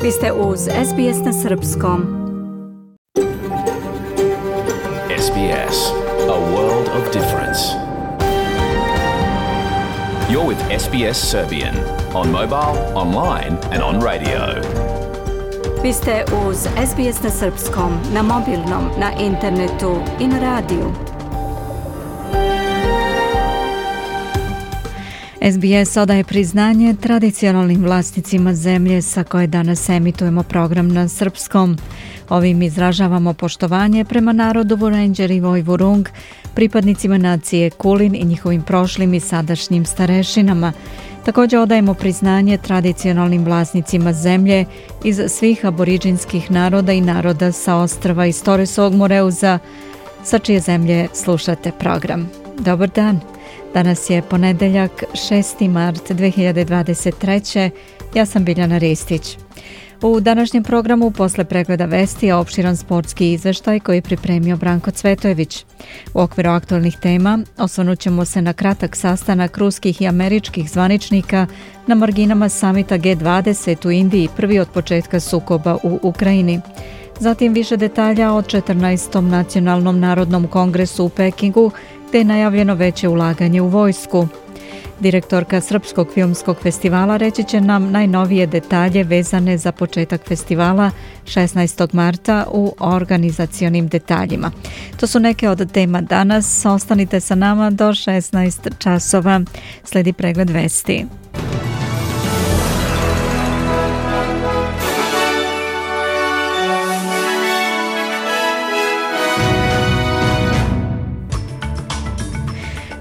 Vi ste uz SBS na Srpskom. SBS, a world of difference. You're with SBS Serbian on mobile, online and on radio. Vi ste uz SBS na Srpskom, na mobilnom, na internetu i na radiju. SBS odaje priznanje tradicionalnim vlasnicima zemlje sa koje danas emitujemo program na srpskom. Ovim izražavamo poštovanje prema narodu Vurenđer i Vojvurung, pripadnicima nacije Kulin i njihovim prošlim i sadašnjim starešinama. Također odajemo priznanje tradicionalnim vlasnicima zemlje iz svih aboriđinskih naroda i naroda sa ostrva iz Toresovog Moreuza, sa čije zemlje slušate program. Dobar dan! Danas je ponedeljak 6. mart 2023. Ja sam Biljana Ristić. U današnjem programu posle pregleda vesti je opširan sportski izveštaj koji je pripremio Branko Cvetojević. U okviru aktualnih tema osvrnut ćemo se na kratak sastanak ruskih i američkih zvaničnika na marginama samita G20 u Indiji, prvi od početka sukoba u Ukrajini. Zatim više detalja o 14. nacionalnom narodnom kongresu u Pekingu, gdje je najavljeno veće ulaganje u vojsku. Direktorka Srpskog filmskog festivala reći će nam najnovije detalje vezane za početak festivala 16. marta u organizacionim detaljima. To su neke od tema danas. Ostanite sa nama do 16 časova. Sledi pregled vesti.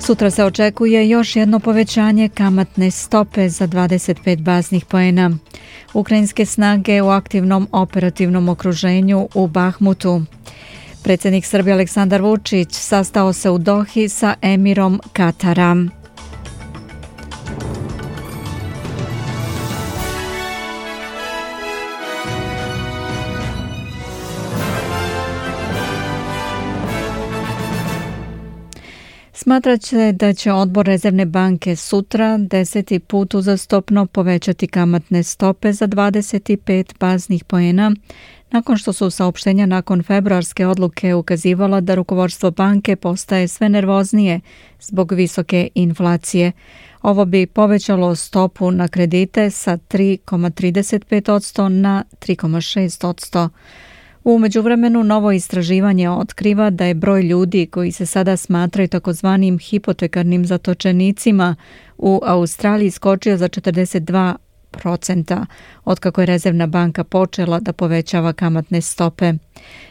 Sutra se očekuje još jedno povećanje kamatne stope za 25 baznih poena. Ukrajinske snage u aktivnom operativnom okruženju u Bahmutu. Predsjednik Srbije Aleksandar Vučić sastao se u Dohi sa emirom Katara. Smatrat će da će odbor Rezervne banke sutra 10. put uzastopno povećati kamatne stope za 25 baznih poena, nakon što su saopštenja nakon februarske odluke ukazivala da rukovodstvo banke postaje sve nervoznije zbog visoke inflacije. Ovo bi povećalo stopu na kredite sa 3,35% na 3,6%. U međuvremenu novo istraživanje otkriva da je broj ljudi koji se sada smatraju takozvanim hipotekarnim zatočenicima u Australiji skočio za 42%, otkako je Rezervna banka počela da povećava kamatne stope.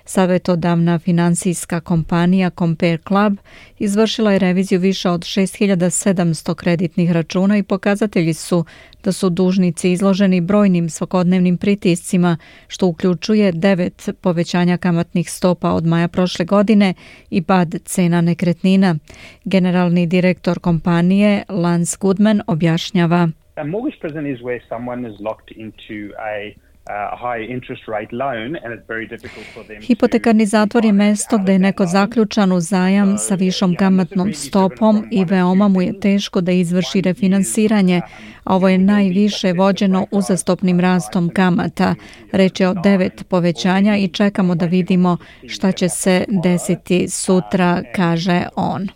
Savjetodavna finansijska kompanija Compare Club izvršila je reviziju više od 6700 kreditnih računa i pokazatelji su da su dužnici izloženi brojnim svakodnevnim pritiscima, što uključuje 9 povećanja kamatnih stopa od maja prošle godine i pad cena nekretnina. Generalni direktor kompanije Lance Goodman objašnjava. A mortgage prison is where someone is locked into a high interest rate loan and it's very difficult for them. Hipotekarni zatvor je mesto gdje je neko zaključan u zajam sa višom kamatnom stopom i veoma mu je teško da izvrši refinansiranje, a ovo je najviše vođeno uzastopnim rastom kamata. Reč je o 9 povećanja i čekamo da vidimo šta će se desiti sutra, kaže on.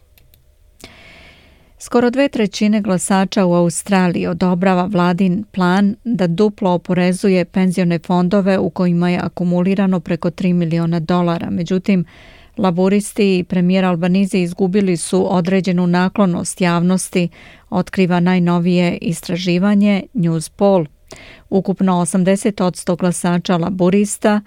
Skoro 2/3 glasača u Australiji odobrava vladin plan da duplo oporezuje penzione fondove u kojima je akumulirano preko $3 miliona. Međutim, laburisti i premijer Albanizi izgubili su određenu naklonost javnosti, otkriva najnovije istraživanje Newspoll. Ukupno 80% glasača laburista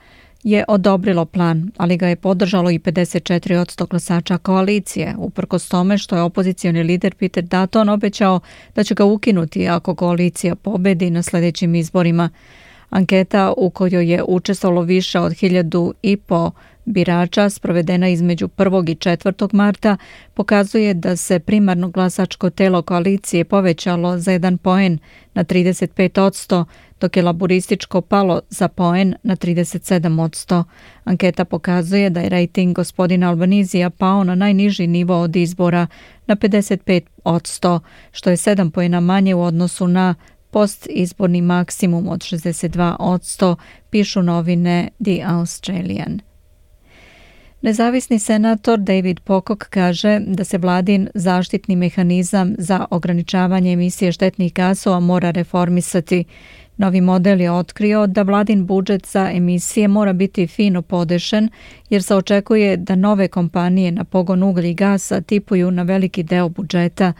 je odobrilo plan, ali ga je podržalo i 54% glasača koalicije, uprkos tome što je opozicioni lider Peter Dutton obećao da će ga ukinuti ako koalicija pobedi na sljedećim izborima. Anketa u kojoj je učestvovalo više od 1500 birača sprovedena između 1. i 4. marta pokazuje da se primarno glasačko telo koalicije povećalo za 1 poen na 35%, dok je laburističko palo za poen na 37%. Anketa pokazuje da je rejting gospodina Albanizija pao na najniži nivo od izbora na 55%, što je 7 poena manje u odnosu na postizborni maksimum od 62%, pišu novine The Australian. Nezavisni senator David Pocock kaže da se vladin zaštitni mehanizam za ograničavanje emisije štetnih gasova mora reformisati. Novi model je otkrio da vladin budžet za emisije mora biti fino podešen jer se očekuje da nove kompanije na pogon uglja i gasa tipuju na veliki deo budžeta.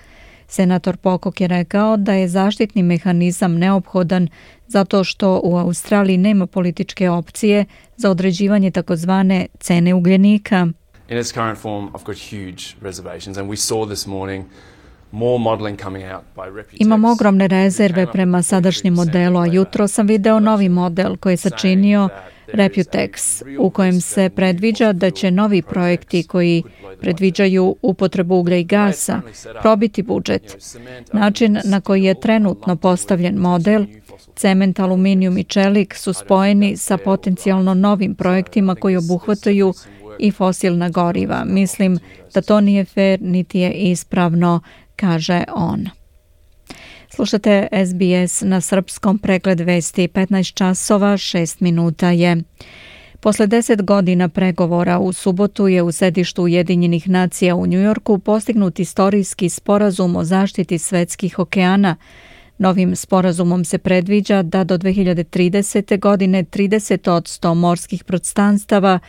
Senator Pocock je rekao da je zaštitni mehanizam neophodan zato što u Australiji nema političke opcije za određivanje takozvane cene ugljenika. In its current form, I've got huge reservations and we saw this morning more modeling coming out by Reputex. Imam ogromne rezerve prema sadašnjem modelu, a jutro sam video novi model koji je sačinio Reputex, u kojem se predviđa da će novi projekti koji predviđaju upotrebu uglja i gasa probiti budžet. Način na koji je trenutno postavljen model, cement, aluminijum i čelik su spojeni sa potencijalno novim projektima koji obuhvataju i fosilna goriva. Mislim da to nije fair niti je ispravno, kaže on. Slušate SBS na srpskom, pregled vesti 15 časova 6 minuta je. Posle 10 godina pregovora u subotu je u sedištu Ujedinjenih nacija u Njujorku postignut istorijski sporazum o zaštiti svetskih okeana. Novim sporazumom se predviđa da do 2030. godine 30% morskih prostranstava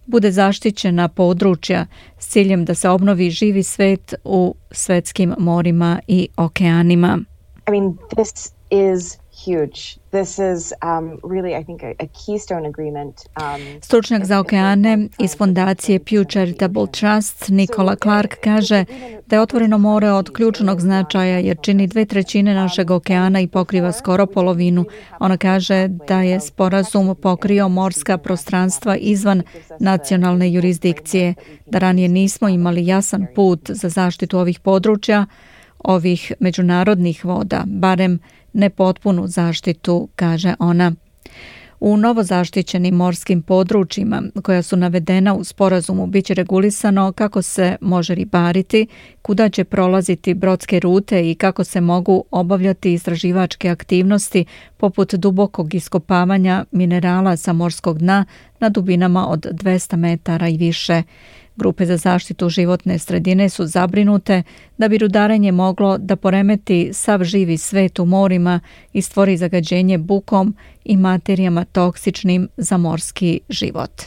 bude zaštićena područja s ciljem da se obnovi živi svet u svetskim morima i okeanima. I mean, this is huge. This is really, I think, a keystone agreement. Stručnjak za okeane iz fondacije Pew Charitable Trust Nicola Clark kaže da je otvoreno more od ključnog značaja jer čini 2/3 našeg okeana i pokriva skoro polovinu. Ona kaže da je sporazum pokrio morska prostranstva izvan nacionalne jurisdikcije, da ranije nismo imali jasan put za zaštitu ovih područja, ovih međunarodnih voda, barem ne potpunu zaštitu, kaže ona. U novozaštićenim morskim područjima koja su navedena u sporazumu biće regulisano kako se može ribariti, kuda će prolaziti brodske rute i kako se mogu obavljati istraživačke aktivnosti poput dubokog iskopavanja minerala sa morskog dna na dubinama od 200 metara i više. Grupe za zaštitu životne sredine su zabrinute da bi rudarenje moglo da poremeti sav živi svet u morima i stvori zagađenje bukom i materijama toksičnim za morski život.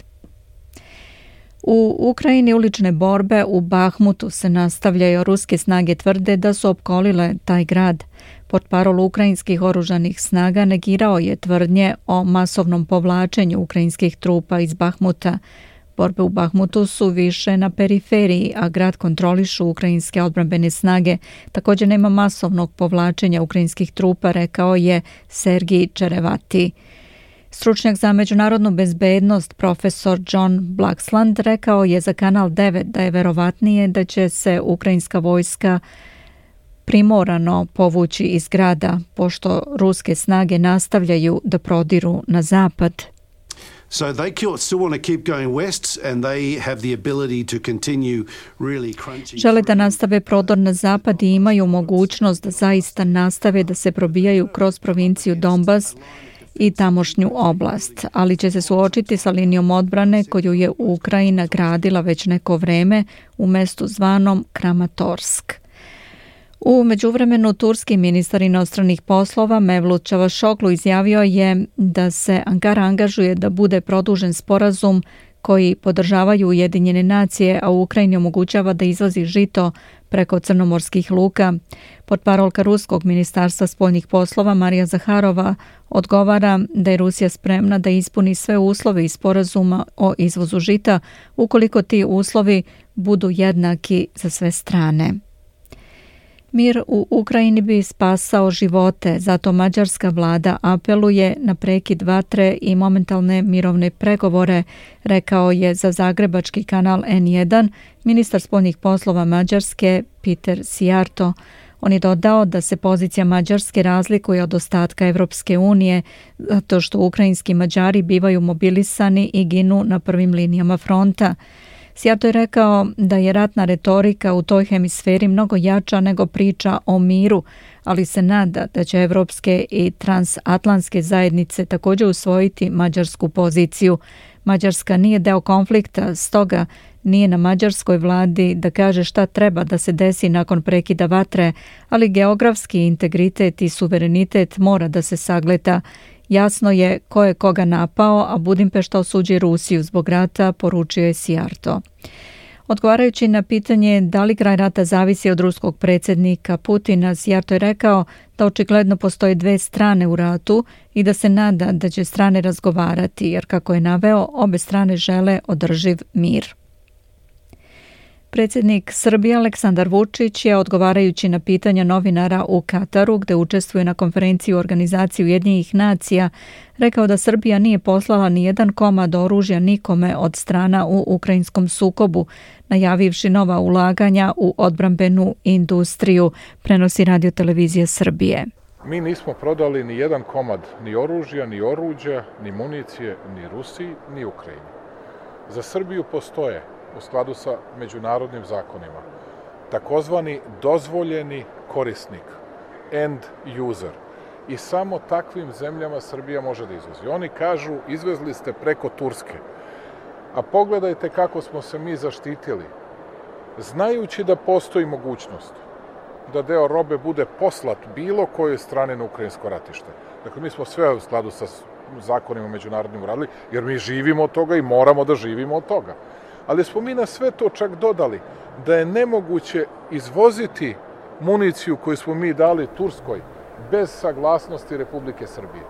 U Ukrajini ulične borbe u Bahmutu se nastavljaju. Ruske snage tvrde da su opkolile taj grad. Portparol ukrajinskih oružanih snaga negirao je tvrdnje o masovnom povlačenju ukrajinskih trupa iz Bahmuta. Borbe u Bahmutu su više na periferiji, a grad kontrolišu ukrajinske odbrambene snage. Također nema masovnog povlačenja ukrajinskih trupa, rekao je Sergij Čerevati. Stručnjak za međunarodnu bezbednost profesor John Blaxland rekao je za Kanal 9 da je verovatnije da će se ukrajinska vojska primorano povući iz grada, pošto ruske snage nastavljaju da prodiru na zapad. So they still want to keep going west and they have the ability to continue really crunching. Žele da nastave prodor na zapad i imaju mogućnost da zaista nastave da se probijaju kroz provinciju Donbas i tamošnju oblast, ali će se suočiti sa linijom odbrane koju je Ukrajina gradila već neko vreme u mestu zvanom Kramatorsk. U međuvremenu turski ministar inostranih poslova Mevlut Čavašoglu izjavio je da se Ankara angažuje da bude produžen sporazum koji podržavaju Ujedinjene nacije, a u Ukrajini omogućava da izvozi žito preko crnomorskih luka. Portparolka ruskog ministarstva spoljnih poslova Marija Zaharova odgovara da je Rusija spremna da ispuni sve uslove iz sporazuma o izvozu žita ukoliko ti uslovi budu jednaki za sve strane. Mir u Ukrajini bi spasao živote, zato mađarska vlada apeluje na prekid vatre i momentalne mirovne pregovore, rekao je za zagrebački kanal N1 ministar spoljnih poslova Mađarske Peter Sijarto. On je dodao da se pozicija Mađarske razlikuje od ostatka Evropske unije, zato što ukrajinski Mađari bivaju mobilisani i ginu na prvim linijama fronta. Sijarto je rekao da je ratna retorika u toj hemisferi mnogo jača nego priča o miru, ali se nada da će evropske i transatlantske zajednice također usvojiti mađarsku poziciju. Mađarska nije deo konflikta, stoga nije na mađarskoj vladi da kaže šta treba da se desi nakon prekida vatre, ali geografski integritet i suverenitet mora da se sagleda. Jasno je ko je koga napao, a Budimpešta osuđuje Rusiju zbog rata, poručio je Sijarto. Odgovarajući na pitanje da li kraj rata zavisi od ruskog predsjednika Putina, Sijarto je rekao da očigledno postoje dve strane u ratu i da se nada da će strane razgovarati, jer kako je naveo, obe strane žele održiv mir. Predsjednik Srbije Aleksandar Vučić je, odgovarajući na pitanja novinara u Kataru, gde učestvuje na konferenciji u organizaciji Ujedinjenih nacija, rekao da Srbija nije poslala ni jedan komad oružja nikome od strana u ukrajinskom sukobu, najavivši nova ulaganja u odbrambenu industriju, prenosi Radio Televizija Srbije. Mi nismo prodali ni jedan komad ni oružja, ni oruđa, ni municije, ni Rusiji, ni Ukrajini. Za Srbiju postoje, u skladu sa međunarodnim zakonima, takozvani dozvoljeni korisnik, end user. I samo takvim zemljama Srbija može da izvozi. Oni kažu, izvezli ste preko Turske. A pogledajte kako smo se mi zaštitili, znajući da postoji mogućnost da deo robe bude poslat bilo kojoj strani na ukrajinsko ratište. Dakle, mi smo sve u skladu sa zakonima međunarodnim uradili, jer mi živimo od toga i moramo da živimo od toga. Ali smo mi na sve to čak dodali da je nemoguće izvoziti municiju koju smo mi dali Turskoj bez saglasnosti Republike Srbije.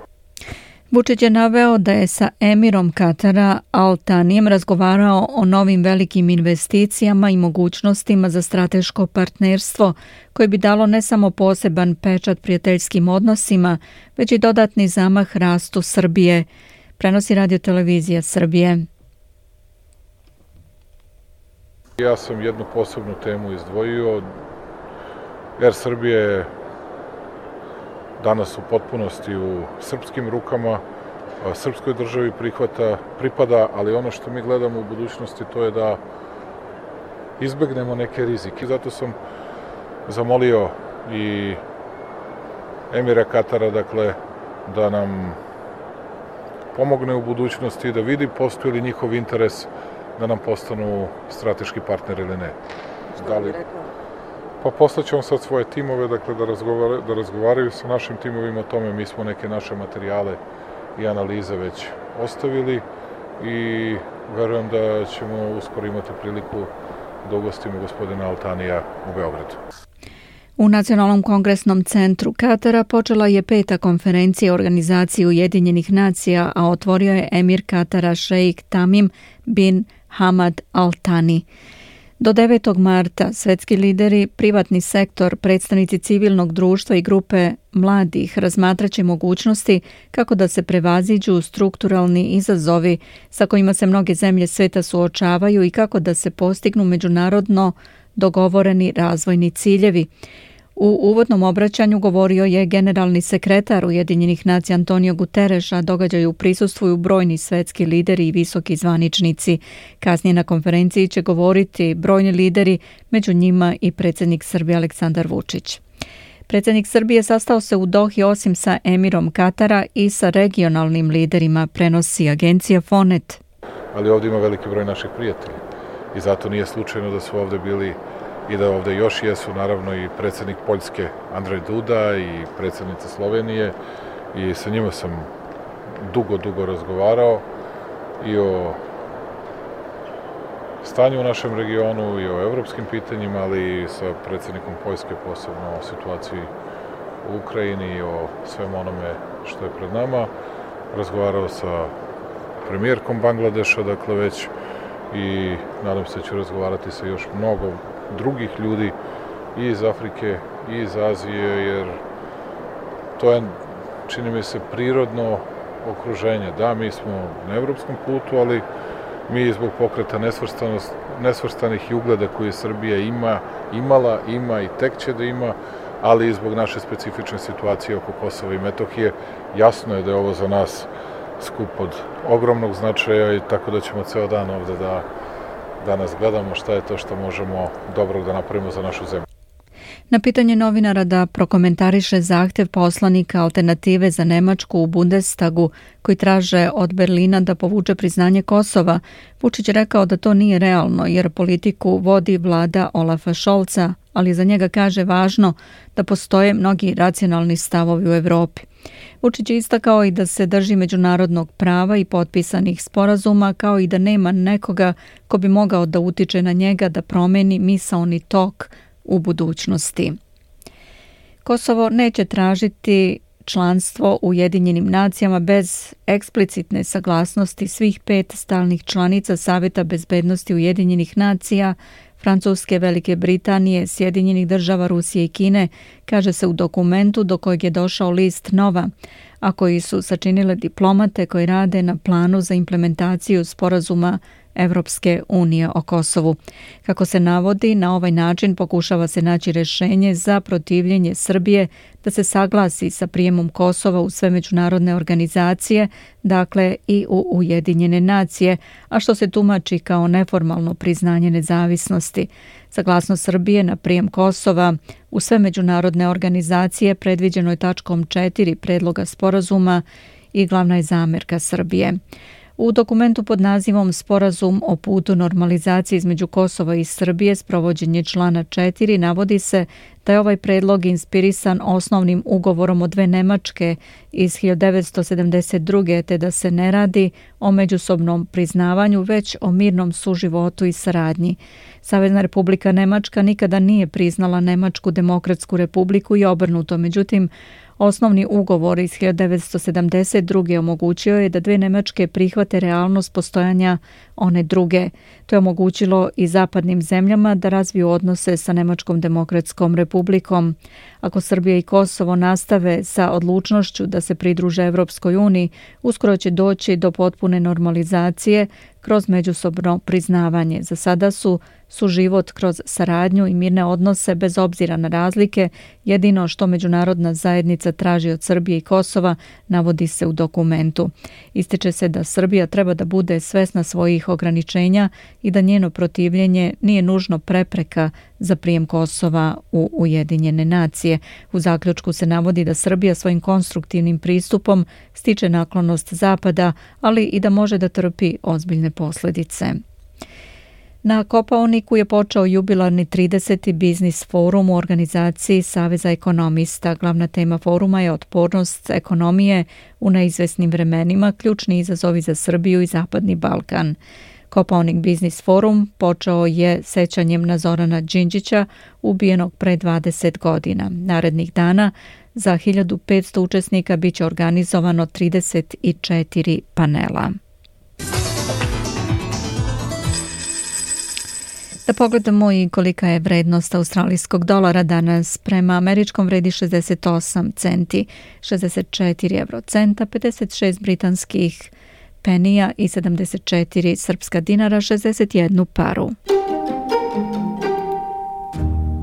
Vučić je naveo da je sa emirom Katara Al Thanijem razgovarao o novim velikim investicijama i mogućnostima za strateško partnerstvo koje bi dalo ne samo poseban pečat prijateljskim odnosima, već i dodatni zamah rastu Srbije, prenosi Radio Televizija Srbije. Ja sam jednu posebnu temu izdvojio. Air Srbija je danas u potpunosti u srpskim rukama, srpskoj državi pripada, ali ono što mi gledamo u budućnosti to je da izbegnemo neke rizike. Zato sam zamolio i emira Katara, dakle, da nam pomogne u budućnosti, da vidi postoji li njihov interes da nam postanu strateški partner ili ne. Što bi rekao? Pa poslaćemo sad svoje timove, dakle, da razgovaraju sa našim timovima o tome. Mi smo neke naše materijale i analize već ostavili i verujem da ćemo uskoro imati priliku da ugostimo gospodina Al Thanija u Beogradu. U Nacionalnom kongresnom centru Katara počela je 5. konferencija organizacije Ujedinjenih nacija, a otvorio je emir Katara šejk Tamim bin Hamad Al Thani. Do 9. marta svetski lideri, privatni sektor, predstavnici civilnog društva i grupe mladih razmatraće mogućnosti kako da se prevaziđu strukturalni izazovi sa kojima se mnoge zemlje sveta suočavaju i kako da se postignu međunarodno dogovoreni razvojni ciljevi. U uvodnom obraćanju govorio je generalni sekretar Ujedinjenih nacija Antonio Guterres, a događaju prisustvuju brojni svetski lideri i visoki zvaničnici. Kasnije na konferenciji će govoriti brojni lideri, među njima i predsjednik Srbije Aleksandar Vučić. Predsjednik Srbije sastao se u Dohi osim sa emirom Katara i sa regionalnim liderima, prenosi agencija Fonet. Ali ovdje ima veliki broj naših prijatelja i zato nije slučajno da su ovdje bili i da ovdje još jesu naravno i predsjednik Poljske Andrej Duda i predsjednica Slovenije i sa njima sam dugo razgovarao i o stanju u našem regionu i o evropskim pitanjima, ali i sa predsjednikom Poljske posebno o situaciji u Ukrajini i o svem onome što je pred nama. Razgovarao sa premijerkom Bangladeša, dakle već, i nadam se da ću razgovarati sa još mnogo drugih ljudi i iz Afrike i iz Azije, jer to je, čini mi se, prirodno okruženje. Da, mi smo na evropskom putu, ali mi zbog pokreta nesvrstanih i ugleda koje Srbija ima i tek će da ima, ali i zbog naše specifične situacije oko Kosova i Metohije, jasno je da je ovo za nas skup od ogromnog značaja i tako da ćemo ceo dan ovde da danas gledamo šta je to što možemo dobrog da napravimo za našu zemlju. Na pitanje novinara da prokomentariše zahtjev poslanika Alternative za Nemačku u Bundestagu koji traže od Berlina da povuče priznanje Kosova, Vučić rekao da to nije realno jer politiku vodi vlada Olafa Scholza, ali za njega kaže važno da postoje mnogi racionalni stavovi u Evropi. Vučić je istakao i da se drži međunarodnog prava i potpisanih sporazuma, kao i da nema nekoga ko bi mogao da utiče na njega da promeni misaoni tok u budućnosti. Kosovo neće tražiti članstvo u Ujedinjenim nacijama bez eksplicitne saglasnosti svih 5 stalnih članica Saveta bezbednosti Ujedinjenih nacija, Francuske, Velike Britanije, Sjedinjenih država, Rusije i Kine, kaže se u dokumentu do kojeg je došao list Nova, a koji su sačinile diplomate koji rade na planu za implementaciju sporazuma Evropske unije o Kosovu. Kako se navodi, na ovaj način pokušava se naći rješenje za protivljenje Srbije da se saglasi sa prijemom Kosova u sve međunarodne organizacije, dakle i u Ujedinjene nacije, a što se tumači kao neformalno priznanje nezavisnosti. Saglasnost Srbije na prijem Kosova u sve međunarodne organizacije predviđeno je tačkom 4 predloga sporazuma i glavna je zamjerka Srbije. U dokumentu pod nazivom Sporazum o putu normalizacije između Kosova i Srbije, sprovođenje člana 4, navodi se da je ovaj predlog inspirisan osnovnim ugovorom od 2 Nemačke iz 1972. te da se ne radi o međusobnom priznavanju, već o mirnom suživotu i saradnji. Savezna Republika Nemačka nikada nije priznala Nemačku demokratsku republiku i obrnuto, međutim, osnovni ugovor iz 1972. omogućio je da 2 Nemačke prihvate realnost postojanja one druge. To je omogućilo i zapadnim zemljama da razviju odnose sa Nemačkom demokratskom republikom. Ako Srbija i Kosovo nastave sa odlučnošću da se pridruže Evropskoj uniji, uskoro će doći do potpune normalizacije kroz međusobno priznavanje. Za sada su život kroz saradnju i mirne odnose bez obzira na razlike, jedino što međunarodna zajednica traži od Srbije i Kosova, navodi se u dokumentu. Ističe se da Srbija treba da bude svesna svojih ograničenja i da njeno protivljenje nije nužno prepreka za prijem Kosova u Ujedinjene nacije. U zaključku se navodi da Srbija svojim konstruktivnim pristupom stiče naklonost Zapada, ali i da može da trpi ozbiljne posljedice. Na Kopaoniku je počeo jubilarni 30. biznis forum u organizaciji Saveza ekonomista. Glavna tema foruma je otpornost ekonomije u neizvesnim vremenima, ključni izazovi za Srbiju i Zapadni Balkan. Kopaonik biznis forum počeo je sećanjem na Zorana Đinđića, ubijenog pre 20 godina. Narednih dana za 1500 učesnika biće organizovano 34 panela. Da pogledamo i kolika je vrednost australijskog dolara danas. Prema američkom vredi 68 centi, 64 eurocenta, 56 britanskih penija i 74 srpska dinara, 61 paru.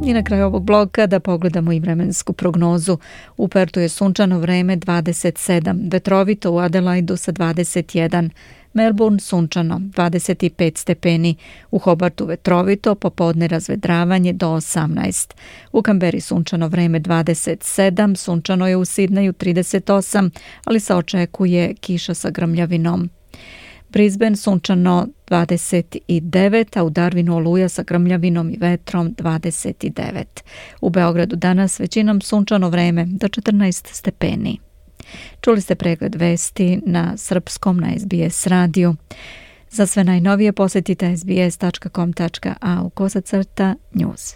I na kraju ovog bloka da pogledamo i vremensku prognozu. U Pertu je sunčano vreme 27, vetrovito u Adelaidu sa 21, Melbourne sunčano 25 stepeni, u Hobartu vetrovito, popodne razvedravanje do 18. U Kamberi sunčano vreme 27, sunčano je u Sidneju 38, ali se očekuje kiša sa grmljavinom. Brisbane sunčano 29, a u Darwinu oluja sa grmljavinom i vetrom 29. U Beogradu danas većinom sunčano vreme do 14 stepeni. Čuli ste pregled vesti na srpskom na SBS radiju. Za sve najnovije posjetite sbs.com.au/news.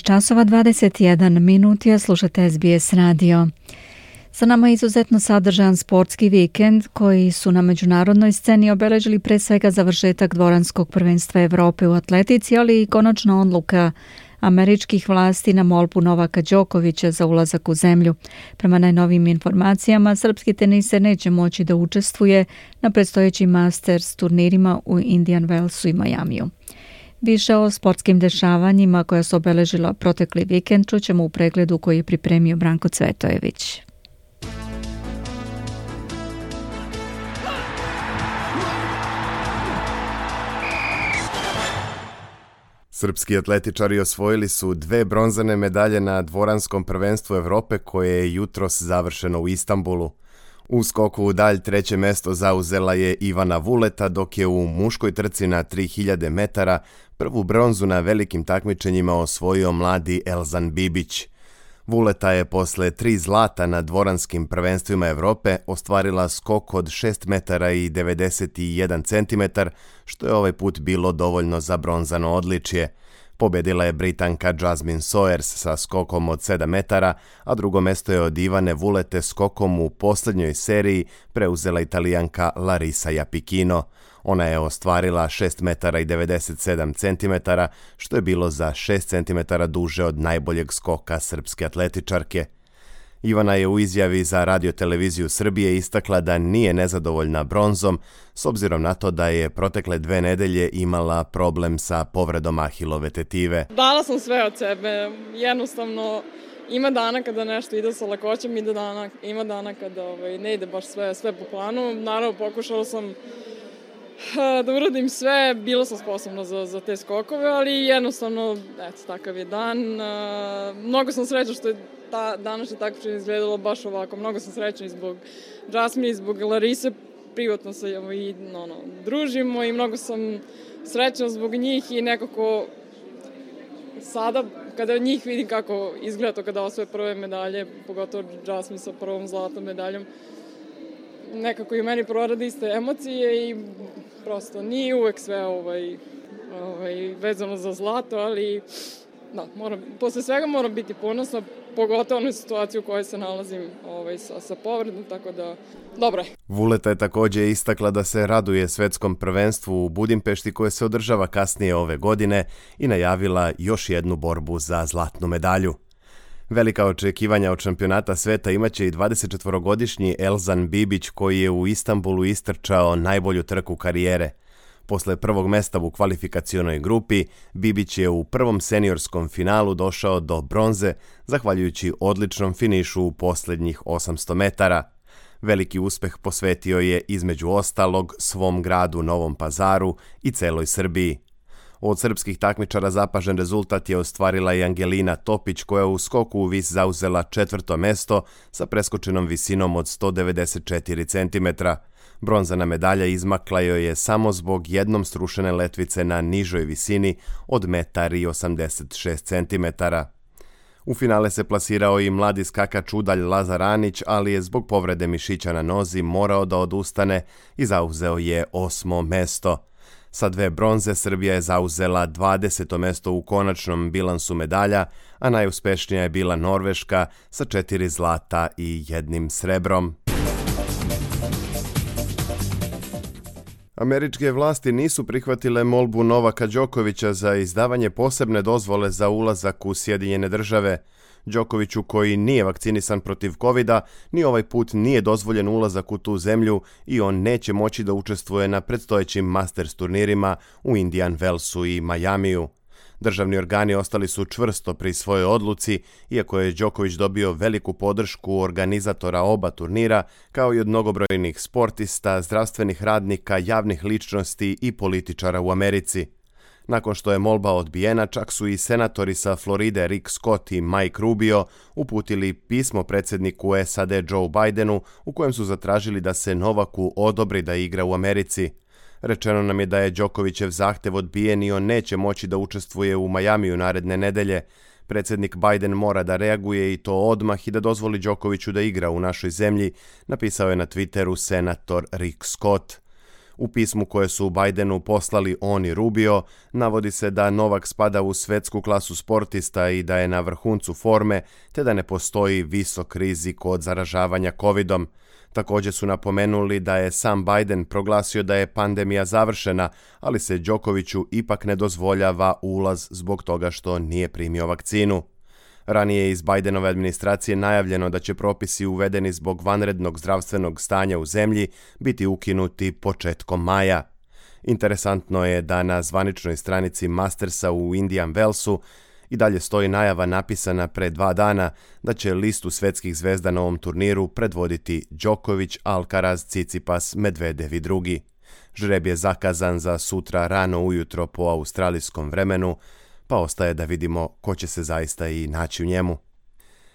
časova 21 minut je, slušate SBS radio. Sa nama je izuzetno sadržajan sportski vikend koji su na međunarodnoj sceni obeležili pre svega završetak dvoranskog prvenstva Evrope u atletici, ali i konačna odluka američkih vlasti na molbu Novaka Đokovića za ulazak u zemlju. Prema najnovijim informacijama, srpski teniser neće moći da učestvuje na predstojećim Masters turnirima u Indian Wellsu i Majamiju. Više o sportskim dešavanjima koja su obeležila protekli vikend čućemo u pregledu koji je pripremio Branko Cvetojević. Srpski atletičari osvojili su 2 bronzane medalje na dvoranskom prvenstvu Evrope koje je jutros završeno u Istanbulu. U skoku u dalj 3. mesto zauzela je Ivana Vuleta, dok je u muškoj trci na 3000 metara prvu bronzu na velikim takmičenjima osvojio mladi Elzan Bibić. Vuleta je posle 3 zlata na dvoranskim prvenstvima Evrope ostvarila skok od 6 metara i 91 centimetar, što je ovaj put bilo dovoljno za bronzano odličje. Pobedila je Britanka Jasmine Sawyers sa skokom od 7 metara, a drugo mesto je od Ivane Vulete skokom u posljednjoj seriji preuzela Italijanka Larisa Japikino. Ona je ostvarila 6 metara i 97 centimetara, što je bilo za 6 centimetara duže od najboljeg skoka srpske atletičarke. Ivana je u izjavi za Radio-televiziju Srbije istakla da nije nezadovoljna bronzom, s obzirom na to da je protekle 2 nedelje imala problem sa povredom ahilove tetive. Dala sam sve od sebe, jednostavno ima dana kada nešto ide sa lakoćem, ima dana kada ne ide baš sve po planu. Naravno, pokušala sam da uradim sve, bila sam sposobna za te skokove, ali jednostavno, takav je dan. Mnogo sam srećna što je današnje takmičenje izgledalo baš ovako. Mnogo sam srećna i zbog Jasmine i zbog Larise. Privatno se družimo i mnogo sam srećna zbog njih i nekako sada kada njih vidim kako izgleda to kada osvoje prve medalje, pogotovo Jasmine sa prvom zlatnom medaljom, nekako i u meni prorade iste emocije i prosto nije uvek sve vezano za zlato, ali posle svega moram biti ponosna, pogotovo na situaciju u kojoj se nalazim sa povredom, tako da dobro je. Vuleta je također istakla da se raduje svetskom prvenstvu u Budimpešti koje se održava kasnije ove godine i najavila još jednu borbu za zlatnu medalju. Velika očekivanja od šampionata sveta imaće i 24-godišnji Elzan Bibić koji je u Istanbulu istrčao najbolju trku karijere. Posle prvog mesta u kvalifikacionoj grupi, Bibić je u prvom seniorskom finalu došao do bronze, zahvaljujući odličnom finišu u posljednjih 800 metara. Veliki uspeh posvetio je između ostalog svom gradu Novom Pazaru i celoj Srbiji. Od srpskih takmičara zapažen rezultat je ostvarila i Angelina Topić koja u skoku u vis zauzela 4. mesto sa preskočenom visinom od 194 cm. Bronzana medalja izmakla joj je samo zbog jednom srušene letvice na nižoj visini od 1,86 cm. U finale se plasirao i mladi skakač udalj Lazar Anić, ali je zbog povrede mišića na nozi morao da odustane i zauzeo je 8. mesto. Sa 2 bronze Srbija je zauzela 20. mesto u konačnom bilansu medalja, a najuspešnija je bila Norveška sa 4 zlata i 1 srebrom. Američke vlasti nisu prihvatile molbu Novaka Đokovića za izdavanje posebne dozvole za ulazak u Sjedinjene Države. Đokoviću, koji nije vakcinisan protiv covida, ni ovaj put nije dozvoljen ulazak u tu zemlju i on neće moći da učestvuje na predstojećim Masters turnirima u Indian Wellsu i Majamiju. Državni organi ostali su čvrsto pri svojoj odluci, iako je Đoković dobio veliku podršku organizatora oba turnira, kao i od mnogobrojnih sportista, zdravstvenih radnika, javnih ličnosti i političara u Americi. Nakon što je molba odbijena, čak su i senatori sa Floride Rick Scott i Mike Rubio uputili pismo predsjedniku SAD Joe Bidenu u kojem su zatražili da se Novaku odobri da igra u Americi. Rečeno nam je da je Đokovićev zahtev odbijen i on neće moći da učestvuje u Majamiju naredne nedelje. Predsjednik Biden mora da reaguje i to odmah i da dozvoli Đokoviću da igra u našoj zemlji, napisao je na Twitteru senator Rick Scott. U pismu koje su Bidenu poslali on i Rubio, navodi se da Novak spada u svetsku klasu sportista i da je na vrhuncu forme, te da ne postoji visok rizik od zaražavanja covidom. Također su napomenuli da je sam Biden proglasio da je pandemija završena, ali se Đokoviću ipak ne dozvoljava ulaz zbog toga što nije primio vakcinu. Ranije je iz Bidenove administracije najavljeno da će propisi uvedeni zbog vanrednog zdravstvenog stanja u zemlji biti ukinuti početkom maja. Interesantno je da na zvaničnoj stranici Mastersa u Indian Wellsu i dalje stoji najava napisana pre 2 dana da će listu svetskih zvezda na ovom turniru predvoditi Đoković, Alcaraz, Tsitsipas, Medvedev i drugi. Žreb je zakazan za sutra rano ujutro po australijskom vremenu, pa ostaje da vidimo ko će se zaista i naći u njemu.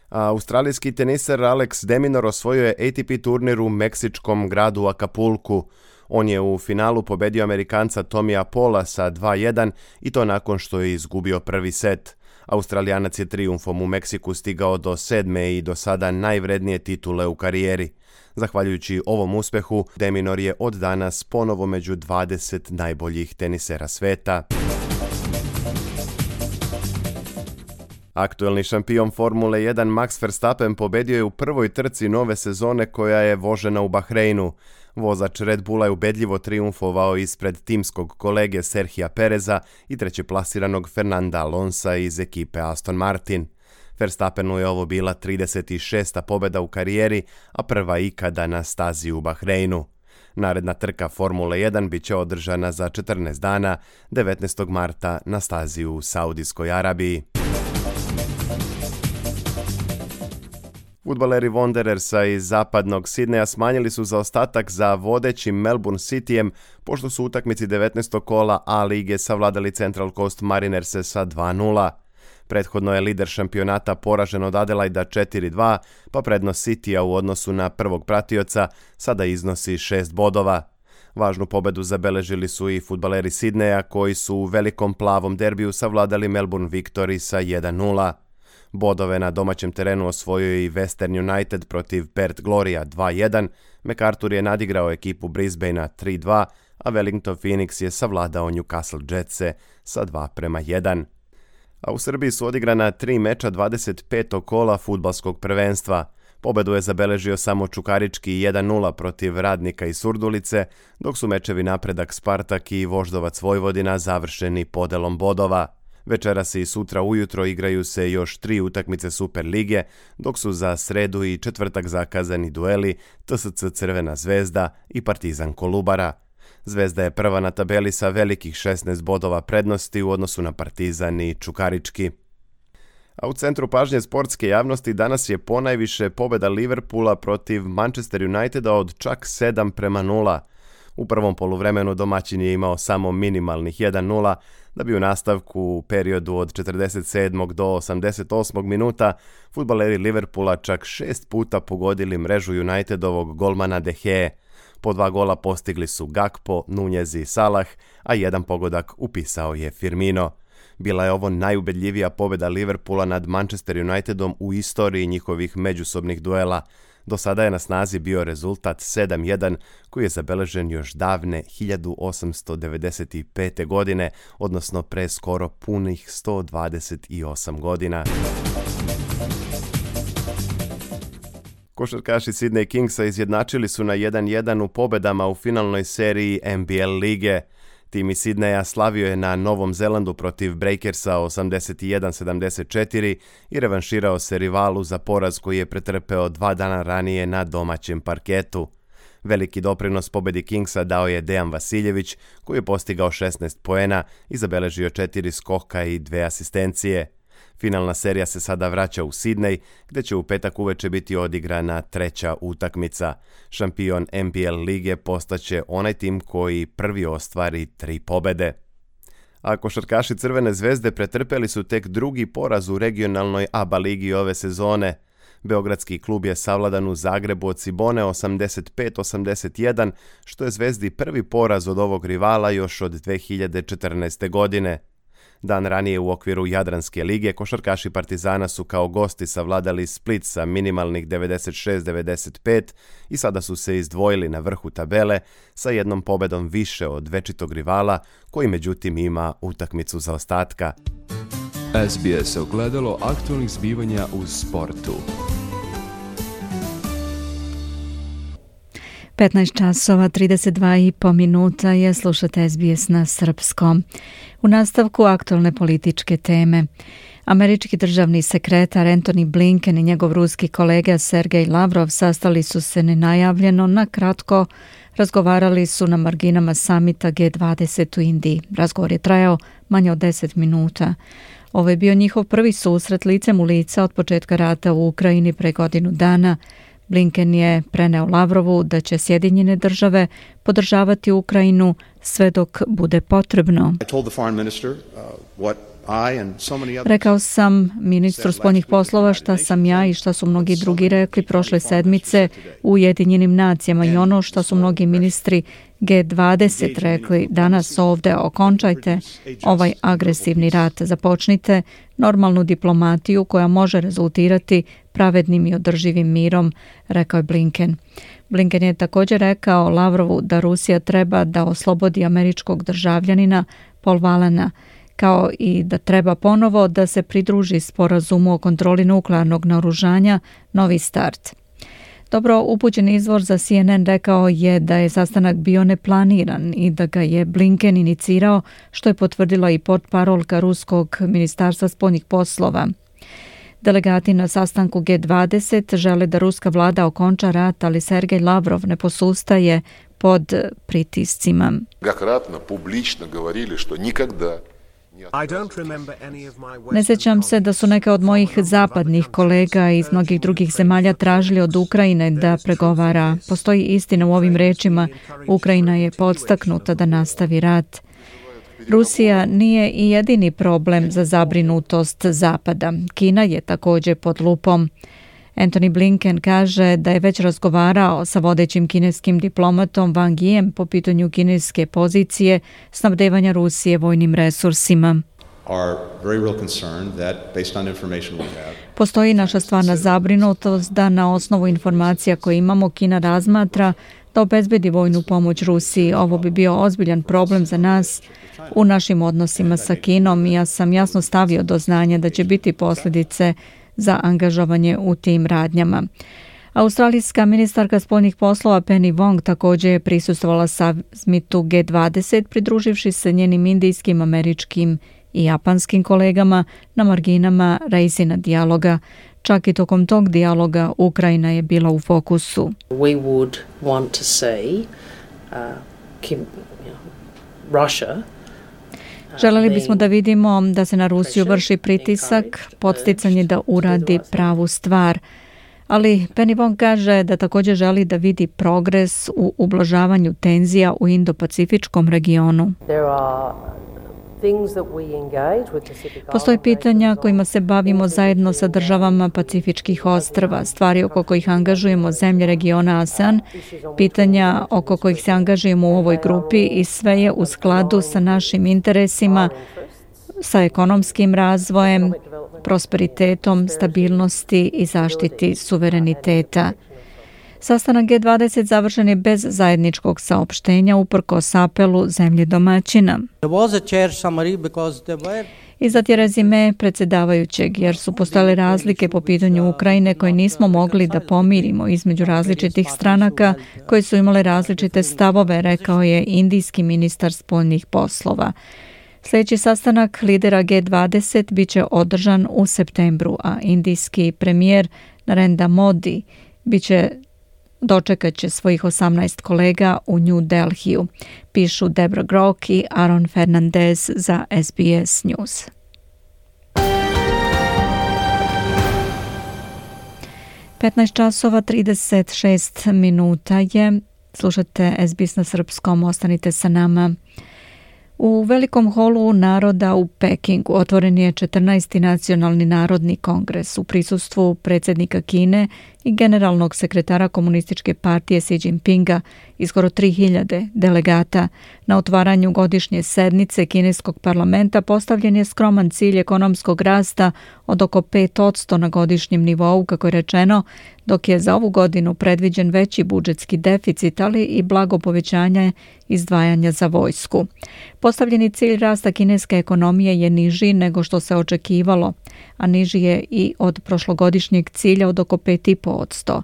Australijski teniser Alex de Minaur osvojio je ATP turnir u meksičkom gradu Acapulcu. On je u finalu pobedio Amerikanca Tomija Paula sa 2:1 i to nakon što je izgubio prvi set. Australijanac je trijumfom u Meksiku stigao do 7. i do sada najvrednije titule u karijeri. Zahvaljujući ovom uspehu, de Minaur je od danas ponovo među 20 najboljih tenisera sveta. Aktuelni šampion Formule 1 Max Verstappen pobedio je u prvoj trci nove sezone koja je vožena u Bahreinu. Vozač Red Bulla je ubedljivo trijumfovao ispred timskog kolege Serhija Pereza i trećeplasiranog Fernanda Alonsa iz ekipe Aston Martin. Verstappenu je ovo bila 36. pobjeda u karijeri, a prva ikada na stazi u Bahreinu. Naredna trka Formule 1 bit će održana za 14 dana, 19. marta na stazi u Saudijskoj Arabiji. Fudbaleri Wanderersa iz zapadnog Sidneja smanjili su zaostatak za vodećim Melbourne Cityjem, pošto su u utakmici 19. kola A lige savladali Central Coast Marinerse sa 2:0. Prethodno je lider šampionata poražen od Adelaida 4:2, pa prednost Cityja u odnosu na prvog pratioca sada iznosi 6 bodova. Važnu pobedu zabeležili su i fudbaleri Sidneja koji su u velikom plavom derbiju savladali Melbourne Victory sa 1:0. Bodove na domaćem terenu osvojio je i Western United protiv Perth Gloria 2:1, MacArthur je nadigrao ekipu Brisbanea 3:2, a Wellington Phoenix je savladao Newcastle Jetse sa 2:1. A u Srbiji su odigrana 3 meča 25. kola fudbalskog prvenstva. Pobedu je zabeležio samo Čukarički 1:0 protiv Radnika iz Surdulice, dok su mečevi Napredak Spartak i Voždovac Vojvodina završeni podelom bodova. Večeras i sutra ujutro igraju se još 3 utakmice Super lige, dok su za sredu i četvrtak zakazani dueli TSC Crvena zvezda i Partizan Kolubara. Zvezda je prva na tabeli sa velikih 16 bodova prednosti u odnosu na Partizan i Čukarički. A u centru pažnje sportske javnosti danas je ponajviše pobjeda Liverpoola protiv Manchester Uniteda od čak 7:0. U prvom poluvremenu domaćin je imao samo minimalnih 1:0, da bi u nastavku u periodu od 47. do 88. minuta fudbaleri Liverpoola čak 6 puta pogodili mrežu Unitedovog golmana De Gea. Po 2 gola postigli su Gakpo, Nunez i Salah, a 1 pogodak upisao je Firmino. Bila je ovo najubedljivija pobjeda Liverpoola nad Manchester Unitedom u istoriji njihovih međusobnih duela. Do sada je na snazi bio rezultat 7:1 koji je zabeležen još davne 1895. godine, odnosno pre skoro punih 128 godina. Košarkaši Sydney Kingsa izjednačili su na 1:1 u pobedama u finalnoj seriji NBL lige. Tim iz Sidneja slavio je na Novom Zelandu protiv Breakersa 81-74 i revanširao se rivalu za poraz koji je pretrpeo 2 dana ranije na domaćem parketu. Veliki doprinos pobedi Kingsa dao je Dejan Vasiljević, koji je postigao 16 poena i zabeležio 4 skoka i 2 asistencije. Finalna serija se sada vraća u Sidney, gdje će u petak uveče biti odigrana 3. utakmica. Šampion NBL lige postaće onaj tim koji prvi ostvari 3 pobede. A košarkaši Crvene zvezde pretrpeli su tek drugi poraz u regionalnoj ABA ligi ove sezone. Beogradski klub je savladan u Zagrebu od Cibone 85-81, što je Zvezdi prvi poraz od ovog rivala još od 2014. godine. Dan ranije u okviru Jadranske lige košarkaši Partizana su kao gosti savladali Split sa minimalnih 96-95 i sada su se izdvojili na vrhu tabele sa jednom pobedom više od večitog rivala koji međutim ima utakmicu zaostatka. SBS ogledalo aktualnih zbivanja u sportu. 15 časova 32,5 minuta je, slušate SBS na srpskom. U nastavku aktualne političke teme. Američki državni sekretar Antony Blinken i njegov ruski kolega Sergej Lavrov sastali su se nenajavljeno na kratko razgovarali su na marginama samita G20 u Indiji. Razgovor je trajao manje od 10 minuta. Ovo je bio njihov prvi susret licem u lice od početka rata u Ukrajini pre godinu dana. Blinken je preneo Lavrovu da će Sjedinjene države podržavati Ukrajinu sve dok bude potrebno. Rekao sam ministru spoljnih poslova šta sam ja i šta su mnogi drugi rekli prošle sedmice u Ujedinjenim nacijama i ono šta su mnogi ministri G20 rekli danas ovde: okončajte ovaj agresivni rat, započnite normalnu diplomatiju koja može rezultirati pravednim i održivim mirom, rekao je Blinken. Blinken je također rekao Lavrovu da Rusija treba da oslobodi američkog državljanina Paul Wallena, kao i da treba ponovo da se pridruži sporazumu o kontroli nuklearnog naoružanja Novi start. Dobro upućen izvor za CNN rekao je da je sastanak bio neplaniran i da ga je Blinken inicirao, što je potvrdila i portparolka ruskog ministarstva spoljnih poslova. Delegati na sastanku G20 žele da ruska vlada okonča rat, ali Sergej Lavrov ne posustaje pod pritiscima. Ne sjećam se da su neke od mojih zapadnih kolega iz mnogih drugih zemalja tražili od Ukrajine da pregovara. Postoji istina u ovim rečima. Ukrajina je podstaknuta da nastavi rat. Rusija nije i jedini problem za zabrinutost Zapada. Kina je također pod lupom. Anthony Blinken kaže da je već razgovarao sa vodećim kineskim diplomatom Wang Yijem po pitanju kineske pozicije snabdevanja Rusije vojnim resursima. Postoji naša stvarna zabrinutost da na osnovu informacija koje imamo Kina razmatra da obezbedi vojnu pomoć Rusiji. Ovo bi bio ozbiljan problem za nas u našim odnosima sa Kinom i ja sam jasno stavio do znanja da će biti posljedice za angažovanje u tim radnjama. Australijska ministarka spoljnih poslova Penny Wong također je prisustvovala samitu G20 pridruživši se njenim indijskim, američkim i japanskim kolegama na marginama Reisina dijaloga. Čak i tokom tog dijaloga Ukrajina je bila u fokusu. We would want to see Russia. Želeli bismo da vidimo da se na Rusiju vrši pritisak, podsticanje da uradi pravu stvar. Ali Penny Wong kaže da također želi da vidi progres u ublažavanju tenzija u Indo-Pacifičkom regionu. Postoje pitanja kojima se bavimo zajedno sa državama Pacifičkih ostrva, stvari oko kojih angažujemo zemlje regiona ASEAN, pitanja oko kojih se angažujemo u ovoj grupi i sve je u skladu sa našim interesima, sa ekonomskim razvojem, prosperitetom, stabilnosti i zaštiti suvereniteta. Sastanak G20 završen je bez zajedničkog saopštenja uprkos apelu zemlje domaćina. Izdati je rezime predsjedavajućeg jer su postojale razlike po pitanju Ukrajine koje nismo mogli da pomirimo između različitih stranaka koje su imale različite stavove, rekao je indijski ministar spoljnih poslova. Sljedeći sastanak lidera G20 bit će održan u septembru, a indijski premijer Narendra Modi dočekat će svojih 18 kolega u New Delhiju, pišu Debra Grok i Aaron Fernandez za SBS News. časova 36 minuta je. Slušate SBS na srpskom, ostanite sa nama. U Velikom holu naroda u Pekingu otvoren je 14. nacionalni narodni kongres u prisustvu predsjednika Kine i generalnog sekretara komunističke partije Xi Jinpinga i skoro 3000 delegata. Na otvaranju godišnje sednice kineskog parlamenta postavljen je skroman cilj ekonomskog rasta od oko 5% na godišnjem nivou, kako je rečeno, dok je za ovu godinu predviđen veći budžetski deficit, ali i blago povećanje izdvajanja za vojsku. Postavljeni cilj rasta kineske ekonomije je niži nego što se očekivalo, a niži je i od prošlogodišnjeg cilja od oko 5,5%.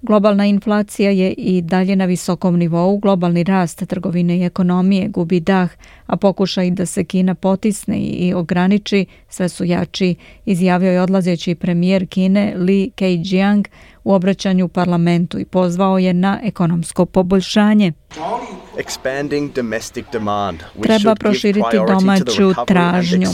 Globalna inflacija je i dalje na visokom nivou, globalni rast trgovine i ekonomije gubi dah, a pokušaj da se Kina potisne i ograniči sve su jači, izjavio je odlazeći premijer Kine Li Keqiang u obraćanju parlamentu i pozvao je na ekonomsko poboljšanje. Treba proširiti domaću tražnju.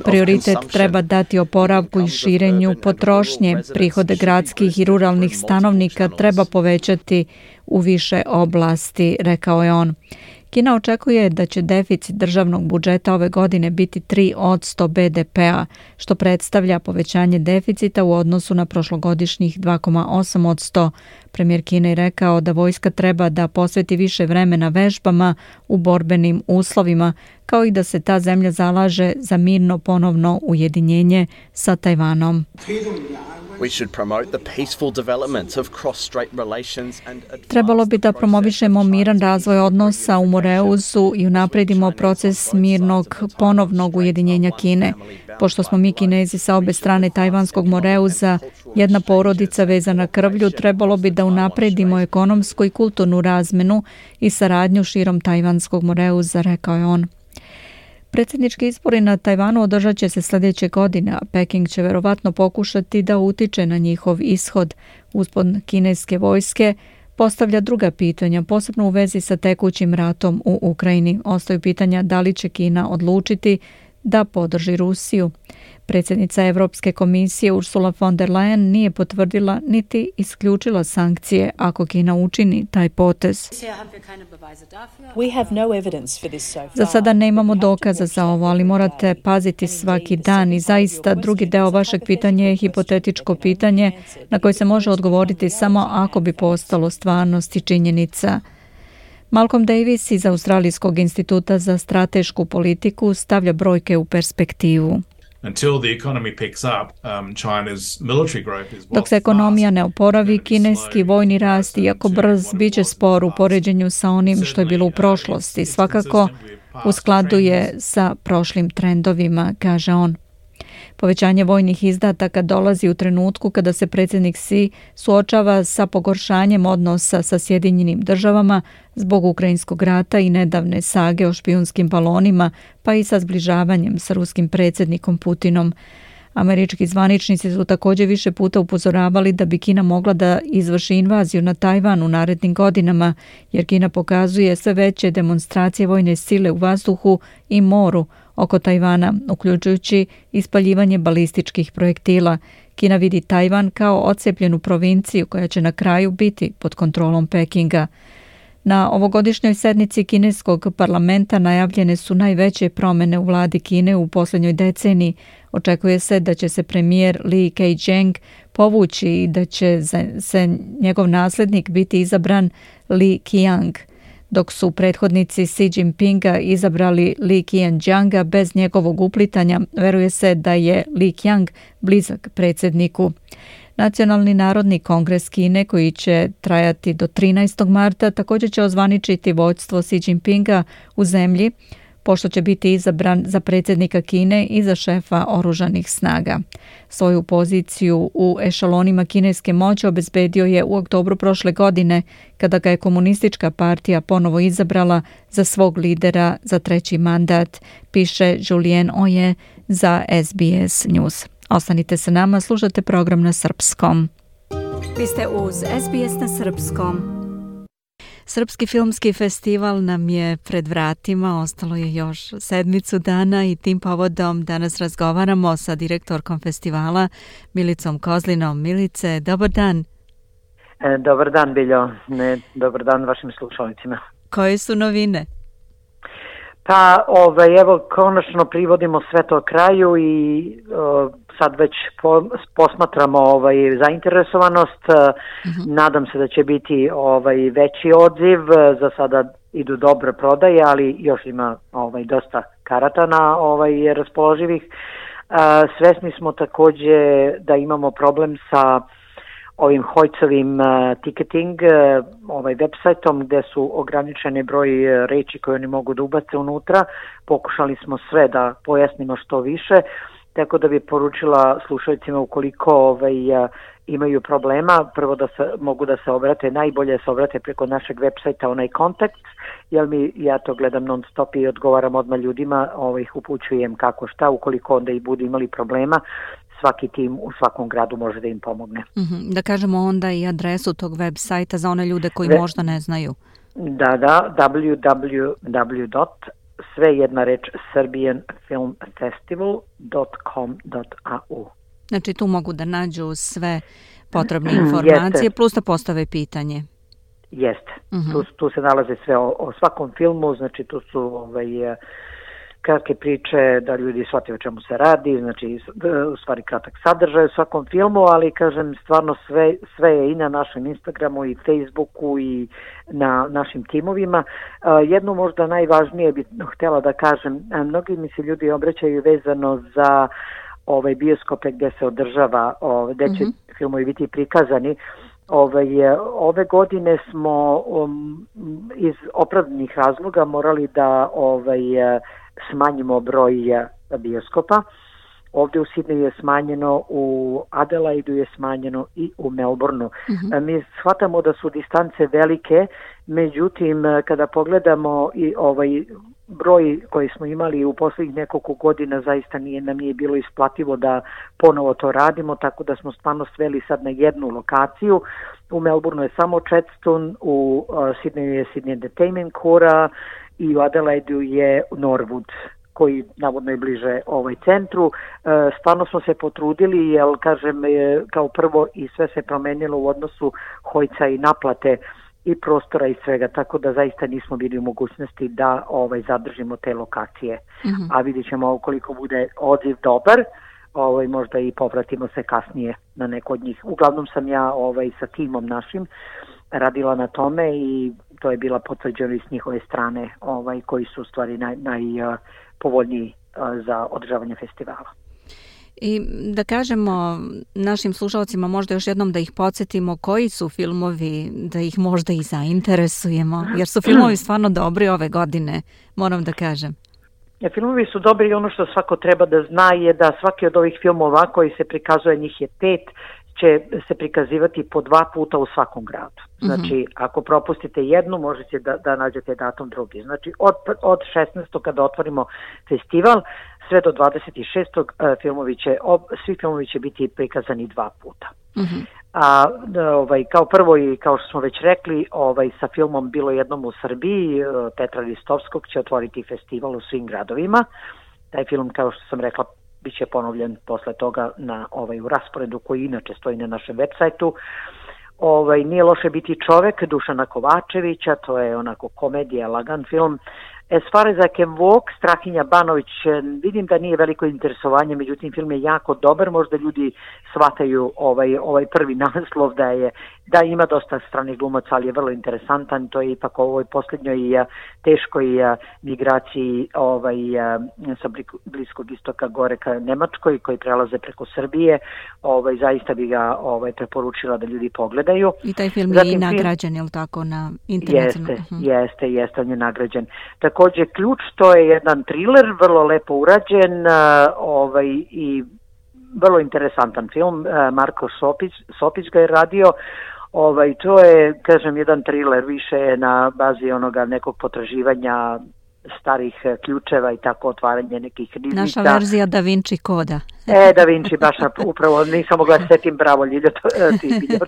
Prioritet treba dati oporavku i širenju potrošnje. Prihode gradskih i ruralnih stanovnika treba povećati u više oblasti, rekao je on. Kina očekuje da će deficit državnog budžeta ove godine biti 3% BDP-a, što predstavlja povećanje deficita u odnosu na prošlogodišnjih 2,8%. Premijer Kine je rekao da vojska treba da posveti više vremena vežbama u borbenim uslovima, kao i da se ta zemlja zalaže za mirno ponovno ujedinjenje sa Tajvanom. Trebalo bi da promovišemo miran razvoj odnosa u Moreuzu i unapredimo proces mirnog ponovnog ujedinjenja Kine. Pošto smo mi Kinezi sa obe strane Tajvanskog Moreuza, jedna porodica vezana krvlju, trebalo bi da unapredimo ekonomsku i kulturnu razmenu i saradnju širom Tajvanskog Moreuza, rekao je on. Predsjednički izbori na Tajvanu održat će se sljedeće godine, a Peking će verovatno pokušati da utiče na njihov ishod. Uspon kineske vojske postavlja druga pitanja, posebno u vezi sa tekućim ratom u Ukrajini. Ostaju pitanja da li će Kina odlučiti da podrži Rusiju. Predsjednica Europske komisije Ursula von der Leyen nije potvrdila niti isključila sankcije ako Kina učini taj potez. Za sada nemamo dokaza za ovo, ali morate paziti svaki dan i zaista drugi deo vašeg pitanja je hipotetičko pitanje na koje se može odgovoriti samo ako bi postalo stvarnost i činjenica. Malcolm Davis iz Australijskog instituta za stratešku politiku stavlja brojke u perspektivu. Dok se ekonomija ne oporavi, kineski vojni rast, iako brz, bit će spor u poređenju sa onim što je bilo u prošlosti. Svakako u skladu je sa prošlim trendovima, kaže on. Povećanje vojnih izdataka dolazi u trenutku kada se predsjednik Xi suočava sa pogoršanjem odnosa sa Sjedinjenim državama zbog ukrajinskog rata i nedavne sage o špijunskim balonima, pa i sa zbližavanjem sa ruskim predsjednikom Putinom. Američki zvaničnici su također više puta upozoravali da bi Kina mogla da izvrši invaziju na Tajvan u narednim godinama, jer Kina pokazuje sve veće demonstracije vojne sile u vazduhu i moru oko Tajvana, uključujući ispaljivanje balističkih projektila. Kina vidi Tajvan kao odcepljenu provinciju koja će na kraju biti pod kontrolom Pekinga. Na ovogodišnjoj sednici kineskog parlamenta najavljene su najveće promjene u vladi Kine u posljednjoj deceniji. Očekuje se da će se premijer Li Keqiang povući i da će se njegov nasljednik biti izabran Li Qiang, dok su prethodnici Xi Jinpinga izabrali Li Qianjianga bez njegovog uplitanja. Veruje se da je Li Qiang blizak predsjedniku. Nacionalni narodni kongres Kine, koji će trajati do 13. marta, također će ozvaničiti vođstvo Xi Jinpinga u zemlji, pošto će biti izabran za predsjednika Kine i za šefa oružanih snaga. Svoju poziciju u ešalonima kineske moći obezbedio je u oktobru prošle godine, kada ga je komunistička partija ponovo izabrala za svog lidera za treći mandat, piše Julien Oye za SBS News. Ostanite sa nama, slušate program na srpskom. Vi ste uz SBS na srpskom. Srpski filmski festival nam je pred vratima, ostalo je još sedmicu dana i tim povodom danas razgovaramo sa direktorkom festivala Milicom Kozlinom. Milice, dobar dan. Dobar dan, Biljo. Dobar dan vašim slušalicima. Koje su novine? Pa, evo, konačno privodimo sve to kraju i sad već posmatramo zainteresovanost. Nadam se da će biti veći odziv. Za sada idu dobre prodaje, ali još ima dosta karata na raspoloživih. Svesni smo također da imamo problem sa ovim Hojcovim ticketing, websajtom gdje su ograničeni broj reči koje oni mogu da ubace unutra. Pokušali smo sve da pojasnimo što više, tako da bi poručila slušalicima ukoliko imaju problema, prvo da mogu da se obrate, najbolje se obrate preko našeg websajta, onaj kontakt, jer ja to gledam non stop i odgovaram odmah ljudima, ih upućujem kako šta, ukoliko onda i budu imali problema. svaki tim u svakom gradu može da im pomogne. Da kažemo onda i adresu tog web sajta za one ljude koji možda ne znaju. Da, www.serbianfilmfestival.com.au. Znači tu mogu da nađu sve potrebne informacije, plus da postave pitanje. Jeste. Tu se nalaze sve o svakom filmu, znači tu su kratke priče da ljudi shvate o čemu se radi, znači u stvari kratak sadržaj u svakom filmu, ali kažem stvarno sve je i na našem Instagramu i Facebooku i na našim timovima. Jedno možda najvažnije bih htjela da kažem, mnogi mi se ljudi obraćaju vezano za bioskope gdje se održava, gdje će filmovi biti prikazani. Ove godine smo iz opravdanih razloga morali da smanjimo broj bioskopa. Ovdje u Sidneju je smanjeno, u Adelaidu je smanjeno i u Melbourneu. Mi shvatamo da su distance velike, međutim kada pogledamo i broj koji smo imali u posljednjih nekoliko godina zaista nam nije bilo isplativo da ponovo to radimo, tako da smo stvarno sveli sad na jednu lokaciju. U Melbourneu je samo Chadstone, u Sidneju je Sydney Entertainment Cora i u Adelaidu je Norwood, koji navodno je bliže centru. Stvarno smo se potrudili, jer kažem kao prvo i sve se promenilo u odnosu hojca i naplate i prostora i svega, tako da zaista nismo bili u mogućnosti da zadržimo te lokacije. A vidjet ćemo ukoliko bude odziv dobar, možda i povratimo se kasnije na neko od njih. Uglavnom sam ja sa timom našim radila na tome i to je bila potvrđena s njihove strane koji su u stvari najpovoljniji za održavanje festivala. I da kažemo našim slušalcima možda još jednom da ih podsjetimo koji su filmovi, da ih možda i zainteresujemo, jer su filmovi stvarno dobri ove godine, moram da kažem. Filmovi su dobri i ono što svako treba da zna je da svaki od ovih filmova koji se prikazuje, njih je 5, će se prikazivati po 2 puta u svakom gradu. Znači, ako propustite jednu, možete da nađete datum drugi. Znači, od 16. kada otvorimo festival, sve do 26. Svi filmovi će biti prikazani 2 puta. A kao prvo i kao što smo već rekli, sa filmom Bilo jednom u Srbiji, Petra Ristovskog će otvoriti festival u svim gradovima. Taj film, kao što sam rekla, bit će ponovljen posle toga u rasporedu koji inače stoji na našem web sajtu. Nije loše biti čovek Dušana Kovačevića, to je onako komedija, lagan film. As far as I can walk, Strahinja Banović, vidim da nije veliko interesovanje, međutim film je jako dobar, možda ljudi shvataju ovaj prvi naslov da ima dosta stranih glumaca, ali je vrlo interesantan, to je ipak u ovoj posljednjoj teškoj migraciji sa Bliskog istoka gore ka Nemačkoj, koji prelaze preko Srbije, zaista bi ga preporučila da ljudi pogledaju. I taj film je i nagrađen, je li tako, na internetu? Jeste, on je nagrađen. Također Ključ, to je jedan thriller, vrlo lepo urađen i vrlo interesantan film. Marko Sopić ga je radio. To je, kažem, jedan thriller, više na bazi onoga nekog potraživanja starih ključeva i tako otvaranje nekih riznica. Naša verzija Da Vinci koda. Da Vinci, baš upravo, nisam mogla setim, bravo Ljilja,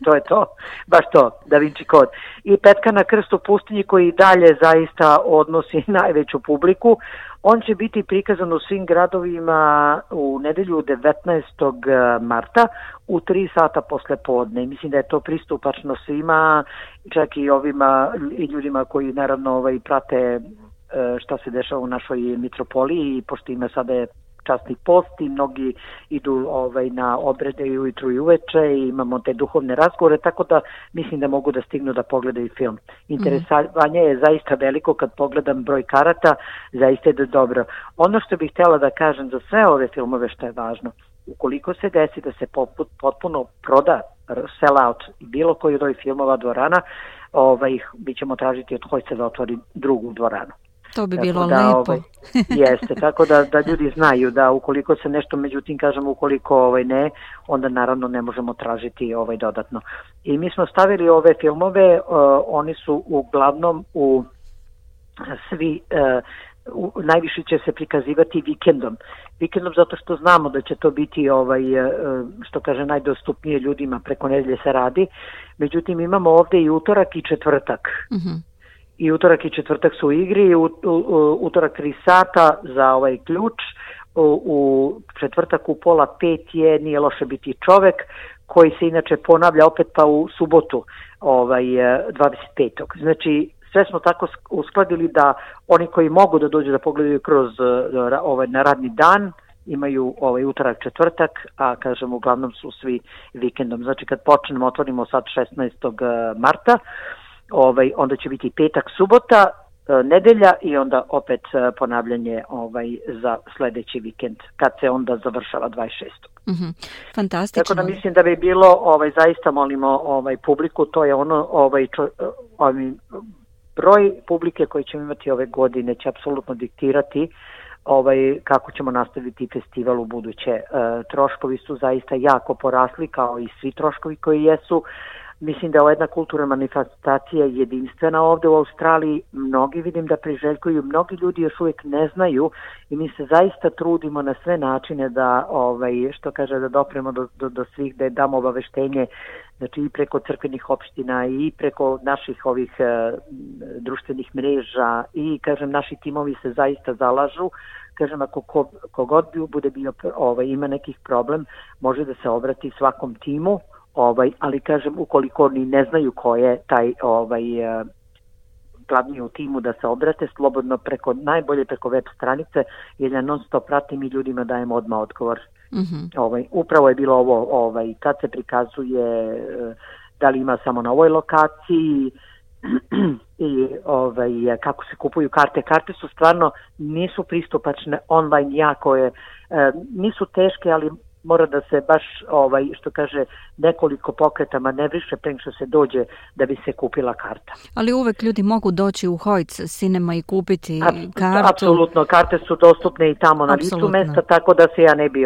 to je to, baš to, Da Vinci kod. I Petka na krstu pustinji, koji dalje zaista odnosi najveću publiku. On će biti prikazan u svim gradovima u nedelju 19. marta u 3 sata posle podne. Mislim da je to pristupačno svima, čak i i ljudima koji naravno prate šta se dešava u našoj mitropoliji, pošto ima sada časni post i mnogi idu na obrede i ujutru i uveče i imamo te duhovne razgovore, tako da mislim da mogu da stignu da pogledaju film. Interesovanje je zaista veliko, kad pogledam broj karata, zaista je dobro. Ono što bih htjela da kažem za sve ove filmove što je važno, ukoliko se desi da se potpuno proda, sell out bilo koji od ovih filmova dvorana, mi ćemo tražiti od hojca da otvori drugu dvoranu. To bi bilo lepo. Jeste, tako da ljudi znaju da ukoliko se nešto, međutim kažem ukoliko ne, onda naravno ne možemo tražiti dodatno. I mi smo stavili ove filmove, oni su uglavnom u svi najviše će se prikazivati vikendom. Vikendom zato što znamo da će to biti što kaže najdostupnije ljudima, preko nedelje se radi. Međutim, imamo ovde i utorak i četvrtak. I utorak i četvrtak su u igri, utorak 3 sata za ključ, u četvrtak u 4:30 je Nije loše biti čovek, koji se inače ponavlja opet pa u subotu 25. Znači, sve smo tako uskladili da oni koji mogu da dođu da pogledaju kroz na radni dan, imaju utorak, četvrtak, a kažem uglavnom su svi vikendom. Znači kad počnemo, otvorimo sad 16. marta, onda će biti petak, subota, nedelja i onda opet ponavljanje za sledeći vikend, kad se onda završava 26. Fantastično. Tako da mislim da bi bilo, zaista molimo publiku, to je ono, broj publike koji ćemo imati ove godine će apsolutno diktirati kako ćemo nastaviti festival u buduće. Troškovi su zaista jako porasli, kao i svi troškovi koji jesu. Mislim da je jedna kulturna manifestacija jedinstvena ovde u Australiji. Mnogi vidim da priželjkuju, mnogi ljudi još uvijek ne znaju i mi se zaista trudimo na sve načine da, što kaže, da dopremo do svih, da damo obaveštenje, znači i preko crkvenih opština i preko naših ovih društvenih mreža i, kažem, naši timovi se zaista zalažu. Kažem, ako kogod bude bio ima nekih problem, može da se obrati svakom timu, ali kažem, ukoliko oni ne znaju ko je taj glavni u timu, da se obrate slobodno najbolje preko web stranice, jer ja non stop pratim i ljudima dajem odmah odgovor. Upravo je bilo ovo, kad se prikazuje, da li ima samo na ovoj lokaciji i kako se kupuju karte. Karte su stvarno, nisu pristupačne online, jako je, nisu teške, ali mora da se baš, što kaže, nekoliko pokreta manevriše pre nego što se dođe da bi se kupila karta. Ali uvek ljudi mogu doći u Hoyts Cinema i kupiti kartu. Apsolutno, karte su dostupne i tamo na licu mesta, tako da se ja ne bi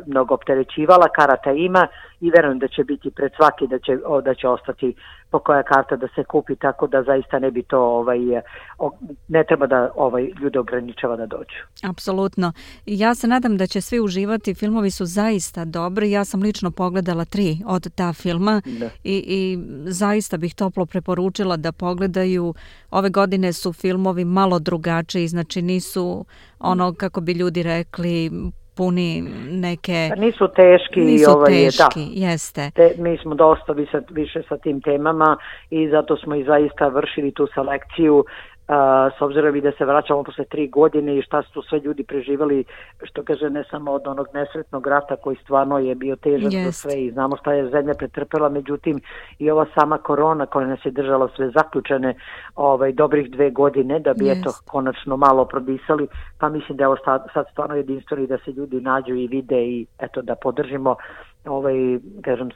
mnogo opterećivala. Karata ima i verujem da će biti pred svaki, da će ostati po koja karta da se kupi, tako da zaista ne bi to, ne treba da ljude ograničava da dođu. Apsolutno. Ja se nadam da će svi uživati, filmovi su zaista dobri, ja sam lično pogledala 3 od ta filma i zaista bih toplo preporučila da pogledaju. Ove godine su filmovi malo drugačiji, znači nisu ono, kako bi ljudi rekli, puni neke... Nisu teški. Jeste. Mi smo dosta više sa tim temama i zato smo i zaista vršili tu selekciju, s obzirom i da se vraćamo posle 3 godine i šta su sve ljudi preživali, što kaže, ne samo od onog nesretnog rata koji stvarno je bio težak za sve i znamo šta je zemlja pretrpela, međutim i ova sama korona koja nas je držala sve zaključene dobrih 2 godine da bi konačno malo prodisali, pa mislim da je ovo sad stvarno jedinstveno i da se ljudi nađu i vide i eto da podržimo kažem,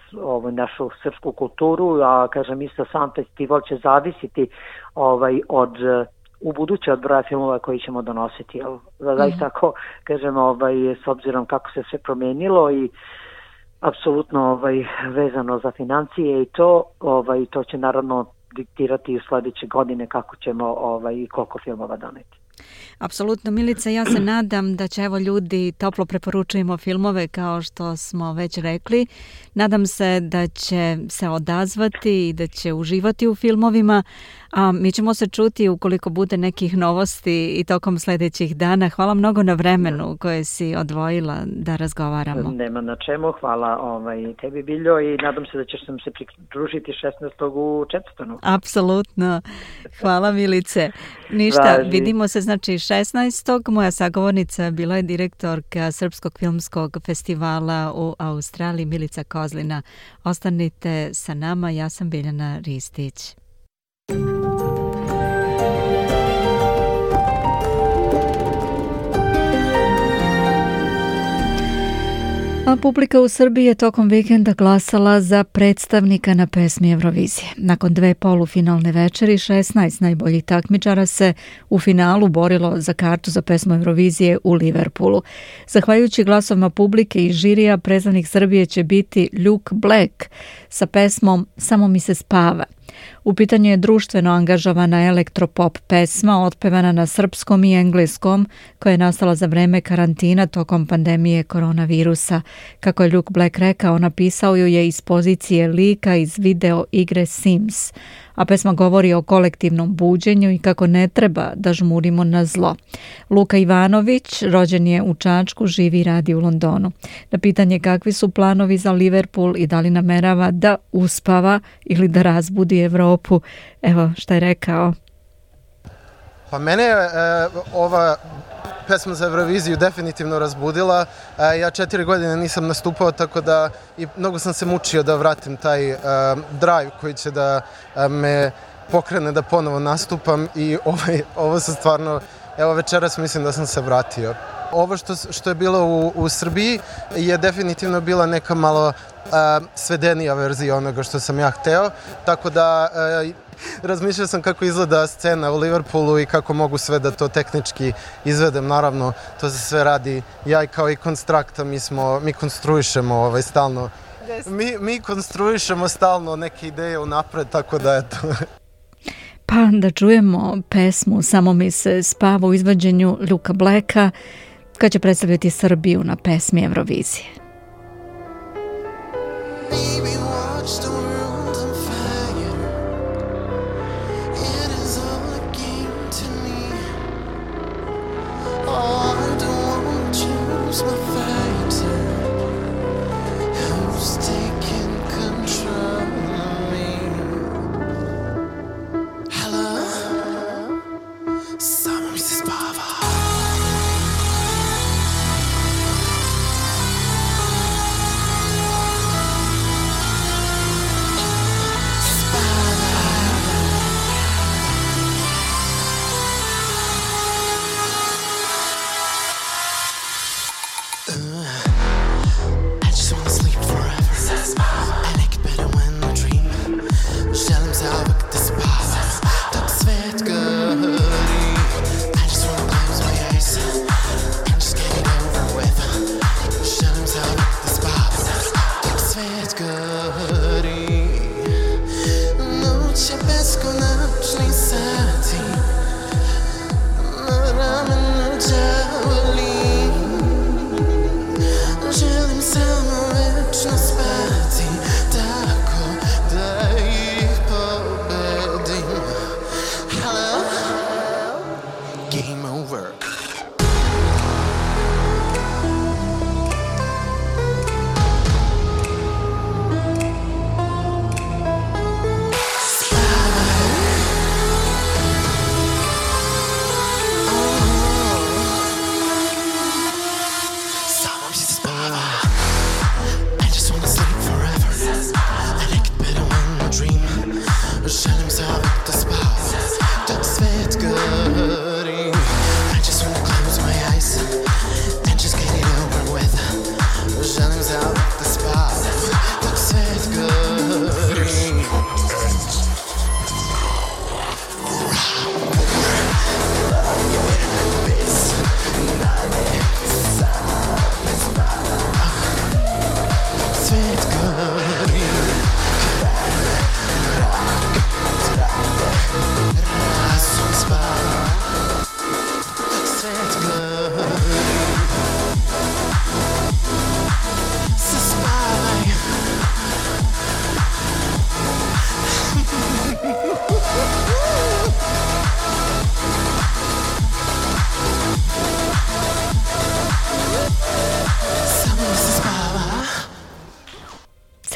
našu srpsku kulturu, a kažem isto sam festival će zavisiti u buduće od broja filmova koji ćemo donositi. Zaista ako, kažem, s obzirom kako se sve promenilo i apsolutno vezano za financije i to će naravno diktirati u sledeće godine kako ćemo i koliko filmova doneti. Apsolutno, Milica, ja se nadam da će ljudi, toplo preporučujemo filmove kao što smo već rekli. Nadam se da će se odazvati i da će uživati u filmovima, a mi ćemo se čuti ukoliko bude nekih novosti i tokom sledećih dana. Hvala mnogo na vremenu koje si odvojila da razgovaramo. Nema na čemu, hvala tebi, Biljo, i nadam se da ćeš nam se pridružiti 16. u Četvrtonu. Apsolutno. Hvala, Milice. Ništa, vidimo se znači 16. Moja sagovornica bila je direktorka Srpskog filmskog festivala u Australiji, Milica Kozlina. Ostanite sa nama, ja sam Biljana Ristić. A publika u Srbiji je tokom vikenda glasala za predstavnika na pesmi Eurovizije. Nakon 2 polufinalne večeri, 16 najboljih takmičara se u finalu borilo za kartu za pesmu Eurovizije u Liverpoolu. Zahvaljujući glasovima publike i žirija, predstavnik Srbije će biti Luke Black sa pesmom Samo mi se spava. U pitanju je društveno angažovana elektropop pesma otpevana na srpskom i engleskom koja je nastala za vreme karantina tokom pandemije koronavirusa. Kako je Luke Black rekao, napisao ju je iz pozicije lika iz video igre Sims, a pesma govori o kolektivnom buđenju i kako ne treba da žmurimo na zlo. Luka Ivanović rođen je u Čačku, živi i radi u Londonu. Na pitanje kakvi su planovi za Liverpool i da li namerava da uspava ili da razbudi Evropu, evo šta je rekao. Pa mene je ova pesma za Euroviziju definitivno razbudila. Ja 4 godine nisam nastupao, tako da i mnogo sam se mučio da vratim taj drive koji će da me pokrene da ponovo nastupam i ovo se stvarno, evo večeras mislim da sam se vratio. Ovo što je bilo u Srbiji je definitivno bila neka malo svedenija verzija onoga što sam ja hteo, tako da razmišljao sam kako izgleda scena u Liverpoolu i kako mogu sve da to tehnički izvedem. Naravno, to se sve radi, ja i kao i Konstrakta, mi konstruišemo stalno. Mi konstruišemo stalno neke ideje unapred, tako da eto. Pa da čujemo pesmu Samo mi se spava u izvođenju Luka Blacka, koja će predstavljati Srbiju na pesmi Eurovizije.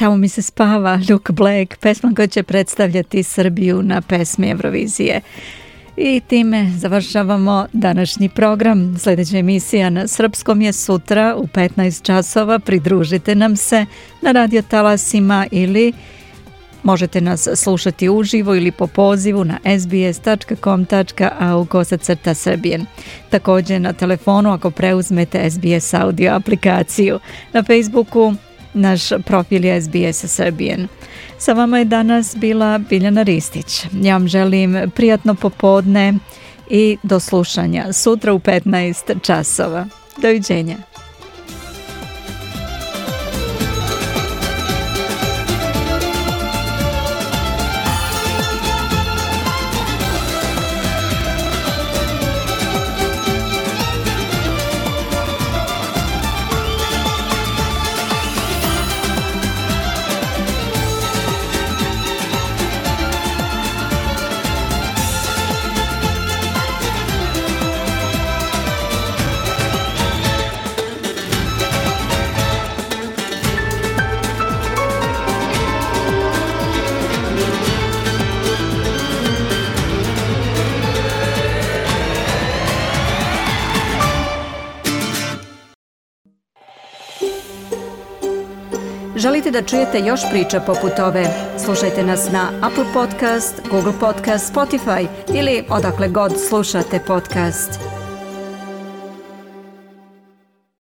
Samo mi se spava, Luke Black, pesma koja će predstavljati Srbiju na pesmi Eurovizije. I time završavamo današnji program. Sljedeća emisija na srpskom je sutra u 15 časova. Pridružite nam se na radio talasima ili možete nas slušati uživo ili po pozivu na sbs.com.au/srbijen. Također na telefonu ako preuzmete SBS audio aplikaciju. Na Facebooku naš profil je SBS Srbijen. Sa vama je danas bila Biljana Ristić. Ja vam želim prijatno popodne i do slušanja sutra u 15 časova. Doviđenja. Želite da čujete još priča poput ove? Slušajte nas na Apple Podcast, Google Podcast, Spotify ili odakle god slušate podcast.